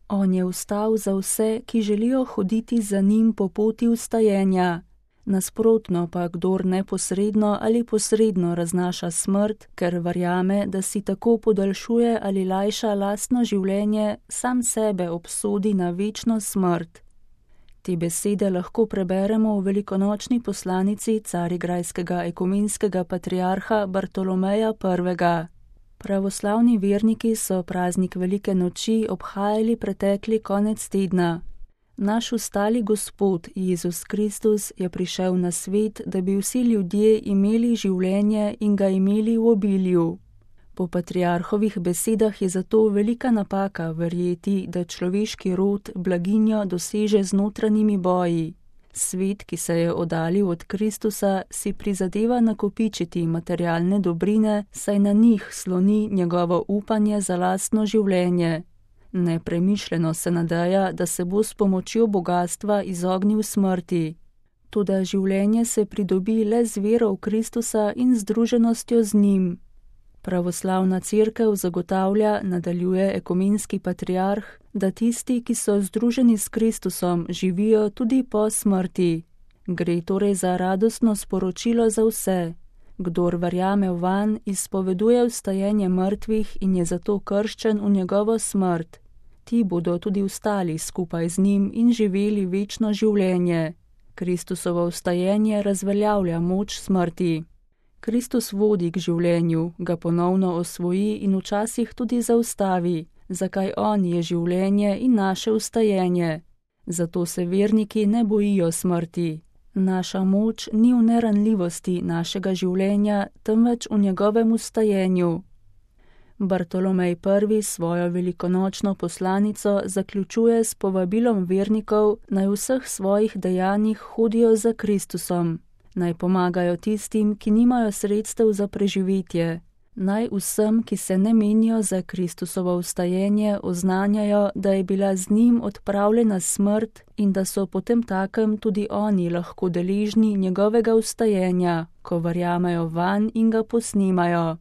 On je vstal za vse, ki želijo hoditi za njim po poti vstajenja. Nasprotno pa, kdor neposredno ali posredno raznaša smrt, ker verjame, da si tako podaljšuje ali lajša lastno življenje, sam sebe obsodi na večno smrt. Te besede lahko preberemo v velikonočni poslanici carigrajskega ekumenskega patriarha Bartolomeja I. Pravoslavni verniki so praznik Velike noči obhajali pretekli konec tedna. Naš ustali Gospod, Jezus Kristus, je prišel na svet, da bi vsi ljudje imeli življenje in ga imeli v obilju. Po patriarhovih besedah je zato velika napaka verjeti, da človeški rod blaginjo doseže z notranjimi boji. Svet, ki se je oddalil od Kristusa, si prizadeva nakopičiti materialne dobrine, saj na njih sloni njegovo upanje za lastno življenje. Nepremišljeno se nadeja, da se bo s pomočjo bogastva izognil smrti. Toda življenje se pridobi le z vero v Kristusa in združenostjo z njim. Pravoslavna cerkev zagotavlja, nadaljuje ekumenski patriarh, da tisti, ki so združeni s Kristusom, živijo tudi po smrti. Gre torej za radostno sporočilo za vse. Kdor verjame vanj, izpoveduje vstajenje mrtvih in je zato krščen v njegovo smrt. Ti bodo tudi vstali skupaj z njim in živeli večno življenje. Kristusovo vstajenje razveljavlja moč smrti. Kristus vodi k življenju, ga ponovno osvoji in včasih tudi zaustavi, zakaj on je življenje in naše vstajenje. Zato se verniki ne bojijo smrti. Naša moč ni v neranljivosti našega življenja, temveč v njegovem vstajenju. Bartolomej I. svojo velikonočno poslanico zaključuje s povabilom vernikov, naj v vseh svojih dejanjih hodijo za Kristusom. Naj pomagajo tistim, ki nimajo sredstev za preživetje. Naj vsem, ki se ne menijo za Kristusovo vstajenje, oznanjajo, da je bila z njim odpravljena smrt in da so potem takem tudi oni lahko deležni njegovega vstajenja, ko verjamejo vanj in ga posnimajo.